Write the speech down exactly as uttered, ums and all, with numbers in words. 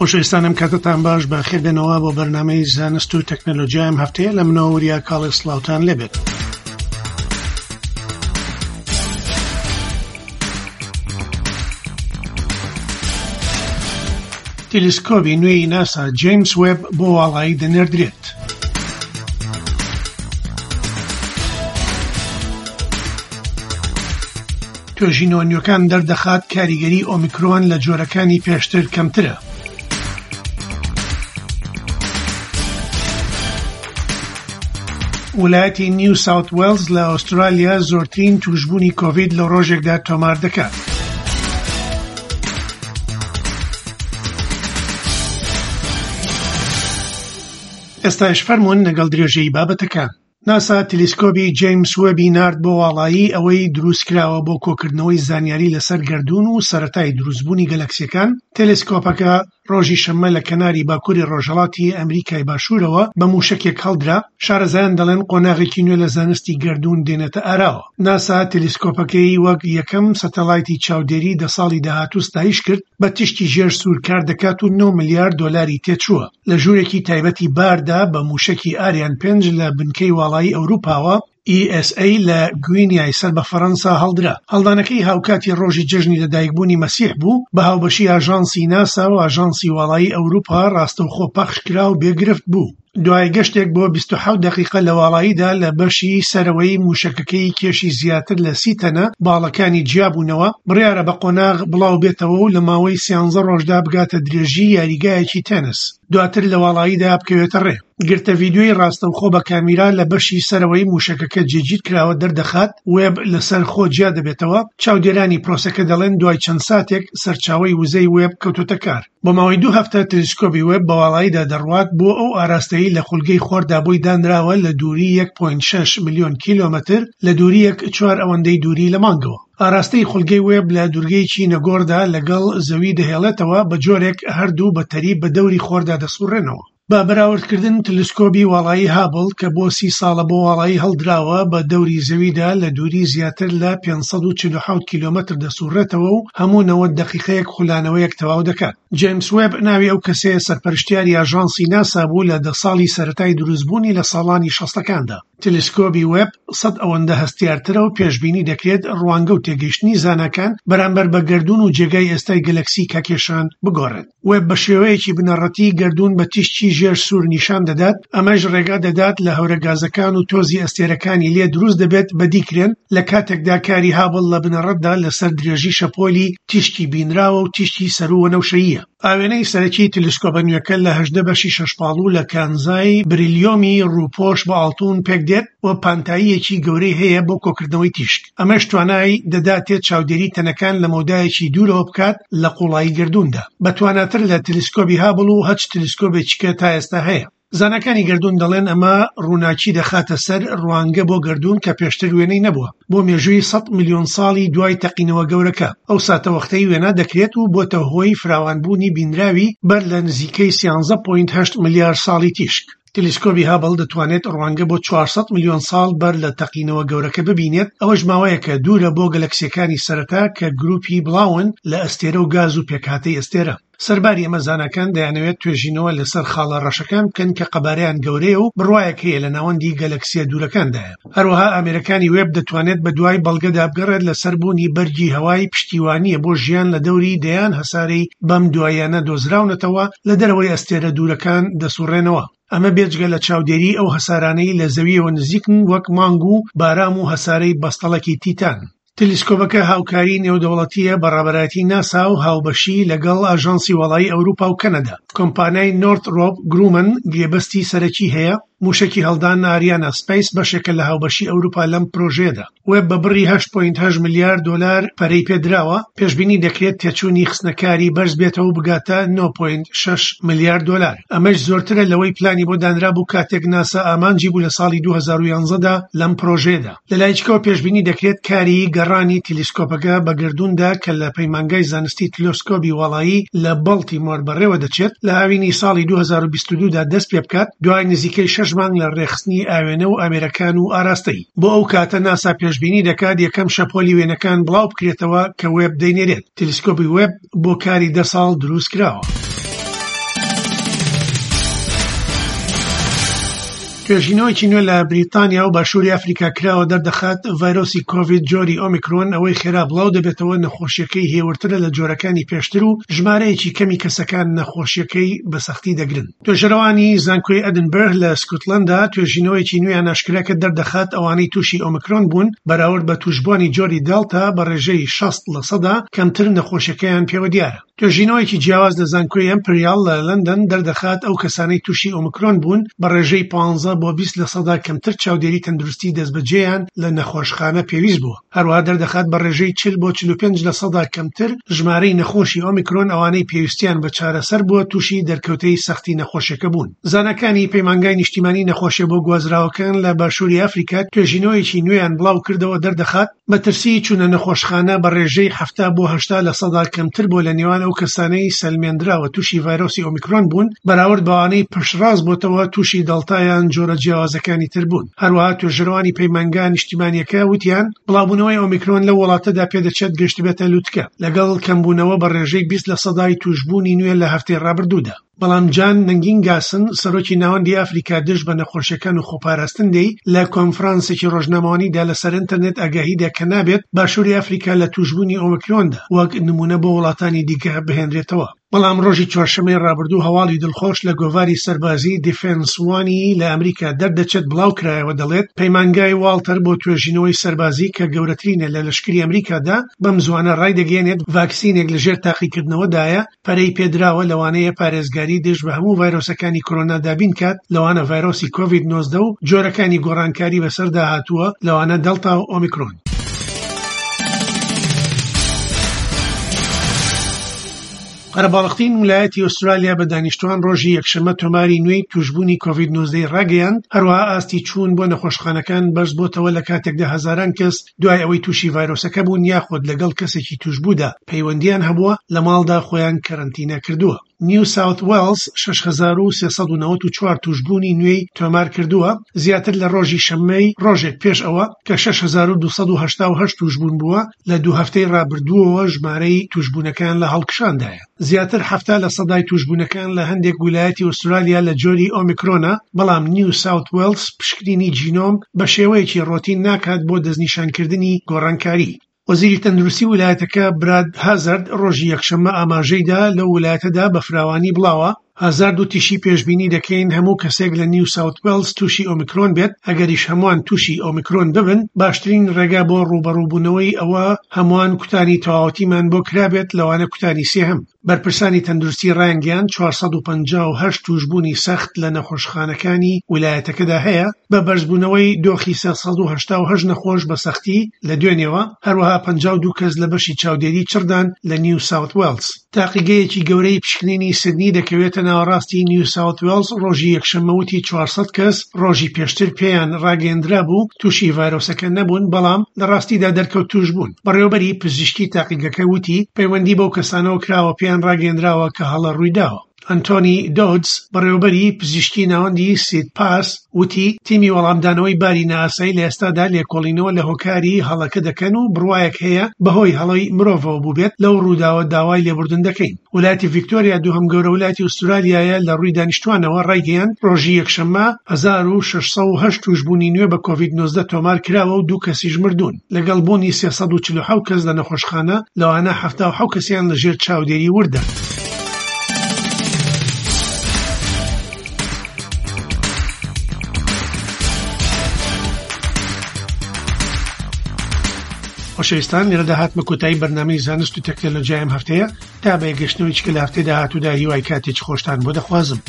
خۆشەویستانم کاتتان باش، بەخێربێنەوە بۆ بەرنامەی زانست و تەکنەلۆژیا. ئەم هەفتەیە لە منەوە وریا کاڵێ سڵاوتان لێبێت. تەلەسکۆبی نوێی ناسا جەیمس وێب بۆ واڵایی دەنێردرێت. توێژینەوە نوێکان دەردەخات کاریگەری ئۆمیکرۆن لە جۆرەکانی پێشتر کەمترە. ویلایەتی نیو ساوت وێڵز لە ئوسترالیا زۆرترین توشبوونی کۆڤید لە ڕۆژێکدا تۆمار دەکات. ئێستاش فەرمونون لەگەڵ درێژەی بابەتەکان. ناسا تەلەسکۆبی جەیمس وێبی نارد بۆ واڵایی، ئەوەی دروستکراوە بۆ کۆکردنەوەی زانیاری لەسەر گەردوون و سەرەتای دروستبوونی گەلەکسیەکان. تەلەسکۆپەکە ڕۆژی شەممە لە کەناری باکووری ڕۆژهەڵاتی ئەمریکای باشوورەوە بە موشەکێک هەڵدرا. شارەزایان دەڵێن قۆناغێکی نوێ لە زانستی گەردوون دێنێتە ئاراوە. ناسا تەلەسکۆپەکەی وەک یەکەم سەتەلایتی چاودێری دە ساڵی داهاتوو ستایش کرد، بە تیشکی ژێر سوور کار دەکات و نۆ ملیار دۆلاری تێچووە. لە ژوورێکی تایبەتی باردا بە موشەکی ئاریان پێنج لە بنکەی واڵایی ئەوروپاوە E S A لە گوینیای سەر بە فەرەنسا هەڵدرا. هەڵدانەکەی هاوکاتی ڕۆژی جەژنی لەدایکبوونی مەسیح بوو، بە هاوبەشی ئاژانسی ناسا و ئاژانسی واڵایی ئەوروپا ڕاستەوخۆ پەخش کرا و بێگرفت بوو. دوای گەشتێک بۆ بیست و حەوت دەقیقە لە واڵاییدا لە بەشی سەرەوەی موشەکەکەی کێشی زیاتر لە سی تەنە باڵەکانی جیابوونەوە، بڕیارە بە قۆناغ بڵاو بێتەوە و لە ماوەی سیانزە ڕۆژدا بگاتە درێژی یاریگایەکی تێنس، دواتر لە واڵاییدا بکەوێتە ڕێ. گرتە ڤیدیۆی ڕاستەوخۆ بە کامیرا لە بەشی سەرەوەی موشەکەکە جێگیر کراوە دەردەخات وێب لەسەر خۆ جیا دەبێتەوە. چاودێرانی پرۆسەکە دەڵێن دوای چەند ساتێک سەرچاوەی وزەی وێب کەوتۆتە کار. بۆ ماوەی دوو هەفتە تەلەسکۆبی وێب بە واڵاییدا دەڕوات بۆ ئەو ئاراستەیی لە خولگەی خۆردا بۆی دانراوە لە دووری یەک پۆینت شەش ملیۆن کیلۆمەتر لە دووریەک چوار ئەوەندەی دووری لە مانگەوە. ئاراستەی خولگەی وێب لە دوورگەیەکی نەگۆڕدا لەگەڵ زەوی دەهێڵێتەوە، بە جۆرێک هەردوو بە تەریب بە دەوری خۆردا دەسوڕێنەوە. بە بەراوردکردن تەلەسکۆبی واڵایی هابڵ کە بۆ سی ساڵە بۆ واڵایی هەڵدراوە بە دەوری زەویدا لە دووری زیاتر لە پێنج سەد و چل و حەوت کیلۆمەتر دەسوڕێتەوە و هەموو نەوەد دەقیقەیەک خولانەوەیەک تەواو دەکات. جەیمس وێب ناوی ئەو کەسەیە سەرپەرشتیاری ئاژانسی ناسا بوو لە دە ساڵی سەرەتای دروستبوونی لە ساڵانی شەستەکاندا. تەلەسکۆبی وێب سەد ئەوەندە هەستیارترە و پێشبینی دەکرێت ڕوانگە و تێگەیشتنی زاناکان بەرامبەر بە گەردوون و جێگای ئێستای گەلەکسی کاکێشان بگۆڕێت. وێب بە شێوەیەکی بنەڕەتی گەردوون بە تیشکی ژێر سوور نیشان دەدات، ئەمەش ڕێگا دەدات لە هەورە گازەکان و تۆزی ئەستێرەکانی لێ دروست دەبێت بەدیکرێن، لە کاتێکدا کاری هابڵ لە بنەڕەتدا لەسەر درێژی شەپۆلی تیشکی بینراوە و تیشکی سەرووە نەوشەییە. ئاوێنەی سەرەکی تەلەسکۆبە نوێکە لە هەژدە بەشی شەشپاڵو لە کانزای بریلیۆمی ڕووپۆش بە ئاڵتون پێک دێت و پانتاییەکی گەورەی هەیە بۆ کۆکردنەوەی تیشک. ئەمەش توانای دەداتێت چاودێری تەنەکان لە مەودایەکی دوورەوە بکات لە قوڵایی گەردووندا، بەتواناتر لە تەلەسکۆبی هابڵ و هەچ تەلەسکۆبێکی کە تا ئێستا هەیە. زاناکانی گەردوون دەڵێن ئەمە ڕووناکی دەخاتە سەر ڕوانگە بۆ گەردوون کە پێشتر وێنەی نەبووە بۆ مێژووی سەد ملیۆن ساڵی دوای تەقینەوە گەورەکە. ئەو ساتەوەختەی وێنا دەکرێت و بۆتە هۆی فراوانبوونی بینراوی بەر لە نزیکەی سیانزە پۆینت هەشت ملیار ساڵی تیشک. تەلەسکۆبی هابڵ دەتوانێت ڕوانگە بۆ چوارسەد ملیۆن ساڵ بەر لە تەقینەوە گەورەکە ببینێت، ئەوەش ماوەیەکە دوورە بۆ گەلەکسیەکانی سەرەتا کە گروپی بڵاون لە ئەستێرە و گاز و پێکهاتەی ئەستێرە. سەرباری ئەمە زاناکان دەیانەوێت توێژینەوە لەسەر خاڵە ڕەشەکان بکەن کە قەبارەیان گەورەیە و بڕوایەک هەیە لە ناوەندی گەلەکسیە دوورەکاندایە. هەروەها ئامێرەکانی وێب دەتوانێت بە دوای بەڵگەدا بگەڕێت لەسەر بوونی بەرگی هەوای پشتیوانیە بۆ ژیان لە دەوری دەیان هەسارەی بەم دوایانە دۆزراونەتەوە لە دەرەوەی ئەستێرە دوورەکان دەسوڕێنەوە. ئەمە بێجگە لە چاودێری ئەو هەسارانەی لە زەویەوە نزیکن وەک مانگ و بارام و هەسارەی بەستەڵەکی تیتان. تەلەسکۆبەکە هاوکاری نێودەوڵەتیە بە ڕابەرایەتی ناسا و هاوبەشی لەگەڵ ئاژانسی واڵایی ئەوروپا و کەنەدا. کۆمپانیای نۆرترۆپ گرومن گرێبەستی سەرەکی هەیە. موشەکی هەڵدان ئاریانا سپەیس بەشێکە لە هاوبەشی ئەوروپا لەم پرۆژەیەدا. وێب بە بڕی هەشت پۆینت هەشت ملیار دۆلار پەرەی پێدراوە، پێشبینی دەکرێت تێچوونی خستنەکاری بەرز بێتەوە و بگاتە نۆ پۆینت شەش ملیار دۆلار. ئەمەش زۆرترە لەوەی پلانی بۆ دانرا بوو کاتێک ناسا ئامانجی بوو لە ساڵی دوو هەزار و یانزەدا لەم پرۆژەیەدا. لە لایچکەوە پێشبینی دەکرێت کاری گەڕانی تەلەسکۆپەکە بە گەردووندا کە لە پەیمانگای زانستی تەلەسکۆبی واڵایی لە بەڵتیمۆر بەڕێوە دەچێت لە هاوینی ساڵی دوو هەزار و بیست و دوو دا دەست پێ بکات، دوای نزیکەی شەش مانگ لە ڕێخستنی ئاوێنە و ئامێرەکان و ئاراستەی. بۆ ئەو کاتە ناسا پێشبینی دەکات یەکەم شەپۆلی وێنەکان بڵاو بکرێتەوە کە وێب دەینێرێت. تەلەسکۆبی وێب بۆ کاری دە ساڵ دروست کراوە. توێژینەوەیەکی نوێ لە بریتانیا و باشووری ئەفریکا کراوە دەردەخات ڤایرۆسی کۆڤید جۆری ئۆمیکرۆن ئەوەی خێرا بڵاو دەبێتەوە نەخۆشیەکەی هێورترە لە جۆرەکانی پێشتر و ژمارەیەکی کەمی کەسەکان نەخۆشیەکەی بە سەختی دەگرن. توێژەرەوانی زانکۆی ئەدنبرغ لە سکۆتلەندا توێژینەوەیەکی نوێیان ئاشکرا کرد دەردەخات ئەوانەی تووشی ئۆمیکرۆن بوون بەراورد بە تووشبووانی جۆری دێلتا بە ڕێژەی شەست لە سەدا کەمتر نەخۆشیەکەیان پێوە دیارە. توێژینەوەیەکی جیاواز لە زانکۆی ئەمپریال لە لەندەن دەردەخات ئەو کەسانەی تووشی ئۆمیکرۆن بوون بە ڕێژەی پانزە بۆ بیست لە سەدا کەمتر چاودێری تەندروستی دەستبەجێیان لە نەخۆشخانە پێویست بووە. هەروەها دەردەخات بە ڕێژەی چل بۆ چل و پێنج لە سەدا کەمتر ژمارەی نەخۆشی ئۆمیکرۆن ئەوانەی پێویستیان بە چارەسەر بووە تووشی دەرکەوتەی سەختی نەخۆشیەکە بوون. زاناکانی پەیمانگای نیشتیمانی نەخۆشیە بۆ گوازراوەکان لە باشووری ئەفریکا توێژینەوەیەکی نوێیان بڵاو کردەوە دەردەخات مەترسی چوونە نەخۆشخانە بە ڕێژەی حەفتا بۆ هەشتا لە سەدا کەمتر بۆ لە نێوان ئەو کەسانەی سەلمێندراوە تووشی ڤایرۆسی ئۆمیکرۆن بوون بەراورد بەوانەی پشتڕاست بۆتەوە تووشی دەڵتایان جۆرە جیاوازەکانی تر بوون. هەروەها توێژەرەوانی پەیمانگا نیشتیمانیەکە وتیان بڵاوبوونەوەی ئۆمیکرۆن لەو وڵاتەدا پێدەچێت گەشتبێتە لوتکە لەگەڵ کەمبوونەوە بە ڕێژەی بیست لە سەدای تووشبوونی نوێ لە هەفتەی ڕابردوودا. بەڵام جان نەنگینگاسن سەرۆکی ناوەندی ئەفریکا دژ بە نەخۆشیەکان و خۆپاراستن دەی لە کۆنفرانسێکی ڕۆژنامەوانیدا لەسەر ئینتەرنێت ئاگاهیدا کە نابێت باشووری ئەفریکا لە تووشبوونی ئۆمیکرۆندا وەک نمونە بۆ وڵاتانی دیکە بهێنرێتەوە. بەڵام ڕۆژی چوارشەممەی ڕابردوو هەواڵی دڵخۆش لە گۆڤاری سەربازی دیفێنس وانی لە ئەمریکا دەردەچێت بڵاو کرایەوە دەڵێت پەیمانگای واڵتەر بۆ توێژینەوەی سەربازی کە گەورەترینە لە لەشکری ئەمریکادا بەم زوانە ڕایدەگەیەنێت ڤاکسینێک لەژێر تاقیکردنەوەدایە پەرەی پێدراوە لەوانەیە پارێزگاری دژ بە هەموو ڤایرۆسەکانی کۆرۆنا دابین کات لەوانە ڤایرۆسی کۆڤید نۆزدە و جۆرەکانی گۆڕانکاری بەسەردا هاتووە لەوانە دەلتا و ئۆمیکرۆن. قەرەباڵغترین ویلایەتی ئوسترالیا بە دانیشتوان ڕۆژی یەکشەممە تۆماری نوێی تووشبوونی کۆڤید نۆزدەی ڕاگەیاند. هەروەها ئاستی چوون بۆ نەخۆشخانەکان بەرز بۆتەوە لە کاتێکدا هەزاران کەس دوای ئەوەی تووشی ڤایرۆسەکە بوون یاخود لەگەڵ کەسێکی تووشبوودا پەیوەندیان هەبووە لە ماڵدا خۆیان کەرەنتینە کردووە. نیو ساوت وێڵز شەش هەزار و سێ سەد و نەوەد و چوار تووشبوونی نوێی تۆمار کردووە، زیاتر لە ڕۆژی شەممەی ڕۆژێک پێش ئەوە کە شەش هەزار و دوو سەد و هەشتا و هەشت تووشبوون بووە. لە دوو هەفتەی ڕابردووەوە ژمارەی تووشبوونەکان لە هەڵکشاندایە. زیاتر حەفتا لە سەدای تووشبوونەکان لە هەندێک ویلایەتی ئوسترالیا لە جۆری ئۆمیکرۆنە، بەڵام نیو ساوت وێڵز پشکنینی جینۆم بە شێوەیەکی ڕۆتین ناکات بۆ دەستنیشانکردنی گۆڕانکاری. وەزیری تەندروستی ویلایەتەکە براد هازارد ڕۆژی یەکشەممە ئاماژەیدا لەو ویلایەتەدا بە فراوانی بڵاوە. هازارد وتیشی پێشبینی دەکەین هەموو کەسێک لە نیو ساوت وێڵز تووشی ئۆمیکرۆن بێت، ئەگەریش هەمووان تووشی ئۆمیکرۆن ببن باشترین ڕێگا بۆ ڕووبەڕووبوونەوەی ئەوە هەمووان کوتانی تەواوەتیمان بۆ کرابێت، لەوانە کوتانی سێهەم. بەرپرسانی تەندروستی ڕایانگەیاند چوار سەد و پەنجا و هەشت تووشبوونی سەخت لە نەخۆشخانەکانی ویلایەتەکەدا هەیە، بە بەرزبوونەوەی دۆخی سێ سەد و هەشتا و هەشت نەخۆش بە سەختی لە دوێنێوە، هەروەها پەنجا و دوو کەس لە بەشی چاودێری چڕدان لە نیو ساوت وێڵز. تاقیگەیەکی گەورەی پشکنینی سیدنی دەکەوێتە ناوەڕاستی نیو ساوت وێڵز ڕۆژی یەکشەممە وتی چوار سەد کەس ڕۆژی پێشتر پێیان ڕاگەیەندرا بوو تووشی ڤایرۆسەکە نەبوون، بەڵام لە ڕاستیدا دەرکەوت تووش بوون. بەڕێوەبەری پزیشکی تاقیگەکە وتی پەیوەندی بەو کەسانەوە کراوە پێیان ڕاگەیەندراوە کە هەڵە ڕوویداوە. ئەنتۆنی دۆدز بەڕێوەبەری پزیشکی ناوەندی سید پاس وتی تیمی وەڵامدانەوەی باری نائاسایی لە ئێستادا لێکۆڵینەوە لە هۆکاری هەڵەکە دەکەن و بڕوایەک هەیە بەهۆی هەڵەی مرۆڤەوە بووبێت. لەو ڕووداوە داوای لێبوردن دەکەین. ویلایەتی ڤیکتۆریا دووهەم گەورە ویلایەتی ئوسترالیایە لە ڕووی دانیشتوانەوە ڕایگەیاند ڕۆژی یەکشەممە هەزار و شەش سەد و هەشت تووشبوونی نوێ بە کۆڤید نۆزدە تۆمار کراوە و دوو کەسیش مردوون، لەگەڵ بوونی سێ سەد و چل و حەوت کەس لە نەخۆشخانە، لەوانە حەفتا و حەوت کەسیان لەژێر چاودێری وردە. خۆشەویستان، لێرەدا هاتمە کۆتایی بەرنامەی زانست و تەکنەلۆژیای ئەم هەفتەیە. تا بە یەکگەشتنەوەی چکە لە هەفتەی داهاتوودا هیوای کاتێکی خۆشتان بۆ دەخوازم.